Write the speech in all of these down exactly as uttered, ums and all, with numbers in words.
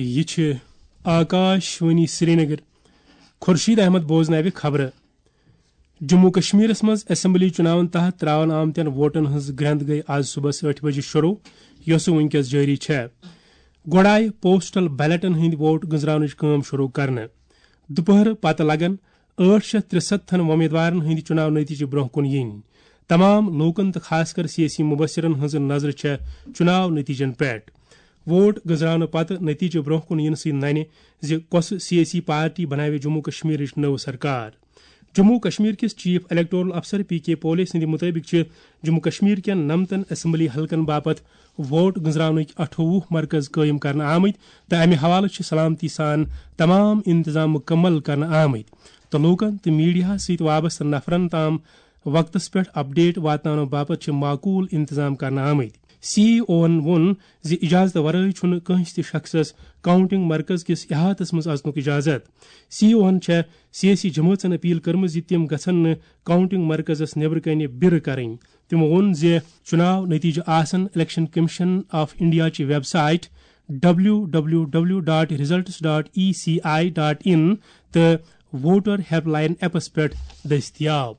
یہِ چھِ آکاش وانی سرینگر۔ خورشید احمد بوزناوِ خبرٕ۔ جموں کشمیرس منٛز اسمبلی چُناون تحت تراونہٕ آمتٮ۪ن ووٹن ہٕنٛز گرٛٮ۪ند گٔیہِ آز صبحس ٲٹھِ بجہِ شروع، یۄسہٕ وُنکیٚس جٲری چھےٚ۔ گۄڈٕ آیہِ پوسٹل بیلٹن ہٕنٛدۍ ووٹ گٔنزراونٕچ کٲم شروع کرنہٕ۔ دُپہرٕ پتہٕ لگن ٲٹھ شیٚتھ ترٛسَتتھن وۄمیدوارن ہٕنٛدۍ چُناو نتیجہٕ برونٛہہ کُن یِنۍ۔ تمام لوٗکن تہٕ خاص کر سیٲسی مبصرن ہٕنٛز نظر چھےٚ چُناو نتیجن پٮ۪ٹھ۔ ووٹ گٔنزراونہٕ پتہٕ نتیجہٕ برونٛہہ کُن یِنہٕ سٕتۍ ننہِ زِ کۄسہٕ سیٲسی پارٹی بناوِ جموں کشمیرٕچ نٔو سرکار۔ جموں کشمیر کِس چیف الیکٹورل افسر پی کے پولے سٕنٛدِ مُطٲبِق چھِ جموں کشمیر کٮ۪ن نَمتَن اسمبلی حلقن باپتھ ووٹ گٔنزراونٕکۍ اَٹھووُہ مرکز قٲیِم کرنہٕ آمٕتۍ تہٕ امہِ حوالہٕ چھِ سلامتی سان تمام انتظام مُکمل کرنہٕ آمٕتۍ تہٕ لوٗکن تہٕ میڈیاہَس سۭتۍ وابستہٕ نفرن تام وقتس پٮ۪ٹھ اپڈیٹ واتناونہٕ باپتھ چھِ معقول انتظام کرنہٕ آمٕتۍ۔ سی ای اوَن ووٚن زِ اجازتہٕ ورٲے چھُنہٕ کٲنٛسہِ تہِ شخصس کاؤنٹنگ مرکز کِس احاطس منٛز اژنُک اجازت۔ سی ای اوَن چھےٚ سیٲسی جمٲژن اپیل کٔرمٕژ زِ تِم گژھن نہٕ کاؤنٹنگ مرکزس نیبرٕ کنہِ بِرٕ کرٕنۍ۔ تِمو ووٚن زِ چُناو نتیجہٕ آسن الیکشن کمیشن آف انڈیا چہِ website W W W dot results dot E C I dot in تہٕ ووٹر ہیلپ لائن ایپس پٮ۪ٹھ دٔستیاب۔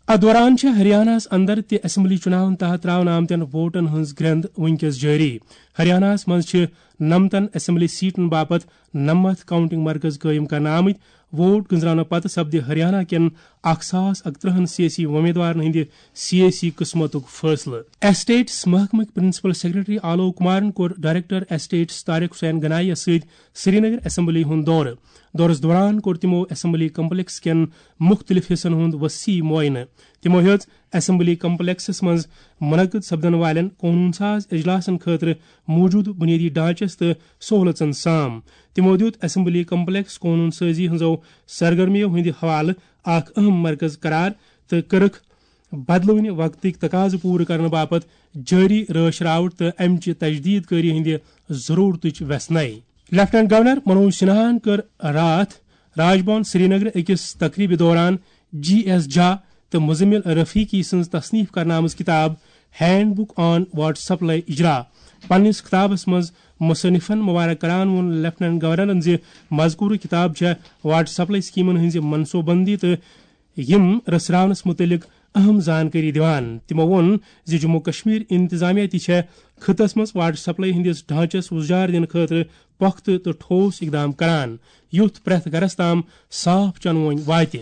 اتھ دوران چھِ ہریاناہس اندر تہِ اسمبلی چُناون تحت تراونہٕ آمتٮ۪ن ووٹن ہٕنٛز گرٛٮ۪ند وُنکیٚس جٲری۔ ہریاناہس منٛز چھِ نَمتَن اسمبلی سیٹن باپتھ نَمَتھ کاؤنٹنگ مرکز قٲیِم کرنہٕ آمٕتۍ۔ ووٹ گٔنزراونہٕ پتہٕ سپدِ ہریانہ کٮ۪ن اکھ ساس اَکترٕہَن سیٲسی وۄمیدوارن ہٕنٛدِ سیٲسی قسمتُک فٲصلہٕ۔ ایسٹیٹس محکمٕکۍ پرنسپل سیکرٹری آلوک کمارن کوٚر ڈائریکٹر ایسٹیٹس طارق حسین گنائی یَس سۭتۍ سرینگر اسمبلی ہُنٛد دورٕ۔ دورس دوران کوٚر تِمو اسمبلی کمپلیکس کٮ۪ن مُختٔلِف حصن ہُنٛد وسیع معائنہٕ۔ تِمو ہیٚژ اسمبلی کمپلیکسس منٛز منعقد سپدن والٮ۪ن قونوٗن ساز اجلاسن خٲطرٕ موٗجوٗدٕ بُنیٲدی ڈھانچس تہٕ سہوٗلژن سام۔ تِمو دِیُت اسمبلی کمپلیکس قونوٗن سٲزی ہٕنٛزو سرگرمیو ہٕنٛدِ حوالہٕ اکھ اہم مرکز قرار تہٕ کٔرٕکھ بدلوٕنہِ وقتٕکۍ تقاضہٕ پوٗرٕ کرنہٕ باپتھ جٲری رٲچھ راوٹھ تہٕ امہِ چہِ تجدید کٲری ہٕنٛدِ ضرورتٕچ ویژھناے۔ لیفٹیننٹ گورنر منوج سنہاہن کٔر راتھ راج بھون سرینگرٕ أکِس تقریبہِ دوران جی ایس جھا تہٕ مزمل رفیقی سٕنٛز تصنیف کرنہٕ آمٕژ کتاب ہینڈ بک آن واٹر سپلائی اجرا۔ پننِس خطابس منٛز مصنفن مبارک کران ووٚن لیفٹیننٹ گورنرن زِ مذکورٕ کتاب چھےٚ واٹر سپلائی سکیمن ہٕنٛزِ منصوبہٕ بندی تہٕ یِم رژھراونس متعلق اہم زانکٲری دِوان۔ تِمو ووٚن زِ جموں کشمیر انتظامیہ تہِ چھےٚ خطس منٛز واٹر سپلائی ہٕنٛدِس ڈھانچس وُزجار دِنہٕ خٲطرٕ پۄختہٕ تہٕ ٹھوس اقدام کران، یُتھ پرٛٮ۪تھ گرس تام صاف چنہٕ وٲنۍ واتہِ۔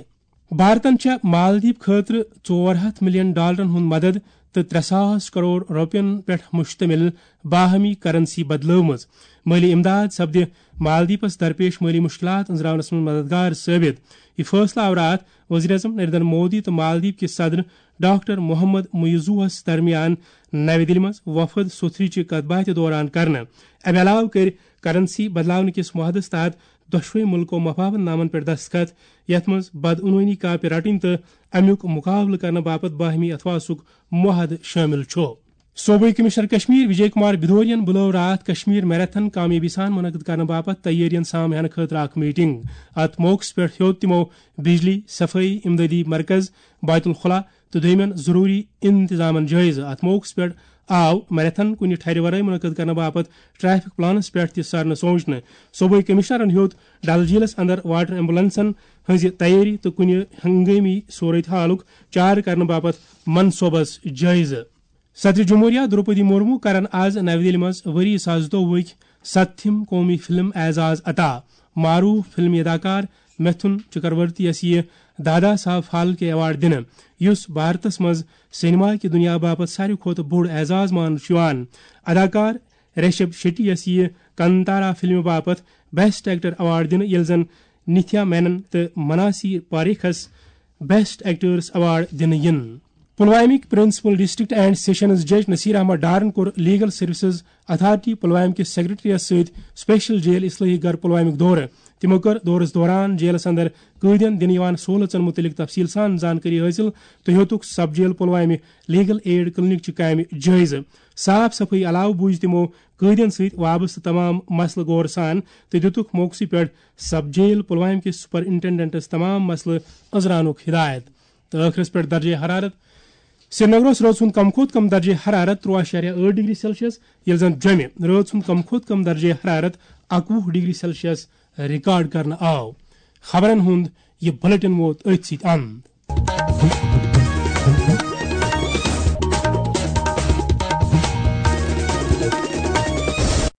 بھارتن چھےٚ مالدیپ خٲطرٕ ژور ہتھ ملین ڈالرن ہُنٛد مدد تہٕ ترٛےٚ ساس کرور رۄپین پٮ۪ٹھ مشتمل باہمی کرنسی بدلٲومٕژ۔ مٲلی امداد سپدِ مالدیپس درپیش مٲلی مشکلات أنٛزراونس منٛز مددگار ثٲبت۔ یہِ فٲصلہٕ آو راتھ وزیر اعظم نریندر مودی تہٕ مالدیپ کِس صدر ڈاکٹر محمد معیزوہس درمیان نَوِ دِلہِ منٛز وفد سوٚتھرِ چہِ کتھ باتھِ دوران کرنہٕ۔ امہِ علاوٕ کٔرۍ کرنسی بدلاونہٕ کِس معاہدس تحت دۄشوے مُلکو مفاہمت نامن پٮ۪ٹھ دستخط، یتھ منٛز بدعنوانی کاپہِ رٹٕنۍ تہٕ امیُک مقابلہٕ کرنہٕ باپتھ باہمی اتھواسُک معاہدٕ شٲمِل چھُ۔ صوبٲئی کمشنر کشمیر وجے کمار بھدوریَن بُلٲو راتھ کشمیر میراتھن کامیٲبی سان منعقد کرنہٕ باپتھ تیٲرین سام ہینہٕ خٲطرٕ اکھ میٹنگ۔ اتھ موقعس پٮ۪ٹھ ہیوٚت تِمو بجلی، صفٲیی، امدادی مرکز، بیت الخلا تہٕ دوٚیمٮ۪ن ضروٗری انتظامن جٲیزٕ۔ اتھ موقعس پٮ۪ٹھ آو میراتھن کُنہِ ٹھرِ ورٲے منعقد کرنہٕ باپتھ ٹریفک پلانس پٮ۪ٹھ تہِ سرنہٕ سوچنہٕ۔ صوبٲئی کمشنرن ہیوٚت ڈل جھیلس اندر واٹر ایمبولینسن ہٕنٛزِ تیٲری تہٕ کُنہِ ہنگٲمی صورت حالُک چارٕ کرنہٕ باپتھ منصوبس جٲیزٕ۔ صدر جمہوریہ دروپدی مرمو کرن آز نَوِ دِلہِ منٛز ؤری زٕ ساس زٕتووُہٕکۍ ستتھِم قومی فلم اعزاز عطا۔ معروف فلمی اداکار متھن چکرورتی یَس یِیہِ دادا صاحب پھالکے ایوارڈ دِنہٕ، یُس بھارتس منٛز سینما کہِ دُنیا باپتھ ساروی کھۄتہٕ بوٚڑ اعزاز ماننہٕ چھُ یِوان۔ اداکار رشب شیٹی یَس یِیہِ کانتارا فلمہِ باپتھ بیسٹ ایکٹر ایوارڈ دِنہٕ، ییٚلہِ زن نتھیا مینن تہٕ مناسی پاریکھس بیسٹ ایکٹرس ایوارڈ دِنہٕ یِن۔ پلوامٕکۍ پرنسپل ڈسٹرکٹ اینڈ سیشنز جج نصیر احمد ڈارن کوٚر لیگل سروسز اتھارٹی پلوامہ کِس سیکرٹریس سۭتۍ سپیشل جیل اصلاحی گھر پلوامُک دورٕ۔ تِمو کٔر دورس دوران جیلس اندر قٲدین دِنہٕ یِوان سہولژن مُتعلق تفصیل سان زانکٲری حٲصِل تہٕ ہیوٚتُکھ سب جیل پلوامہ لیگل ایڈ کلینک چہِ کامہِ جٲیزٕ۔ صاف صفٲیی علاوٕ بوٗزۍ تِمو قٲدین سۭتۍ وابستہٕ تمام مسلہٕ غور سان تہٕ دِتُکھ موقعسٕے پٮ۪ٹھ سب جیل پلوامہ کِس سپرنٹنڈنٹس تمام مسلہٕ أنٛزراونُک ہدایت۔ تہٕ ٲخرس پٮ۪ٹھ درجہ حرارت سرینگرس رٲژ ہُنٛد کم کھۄتہٕ کم درجہ حرارت ترٛوہ اعشاریہ ٲٹھ ڈگری سیلسیس، ییٚلہِ زن جوٚمہِ رٲژ ہُنٛد کم کھۄتہٕ کم درجہ حرارت اکوُہ ڈگری سیلسیس ریکارڈ کرنہٕ آو۔ خبرن ہُنٛد یہِ بلیٹن ووت أتھۍ سۭتۍ اند۔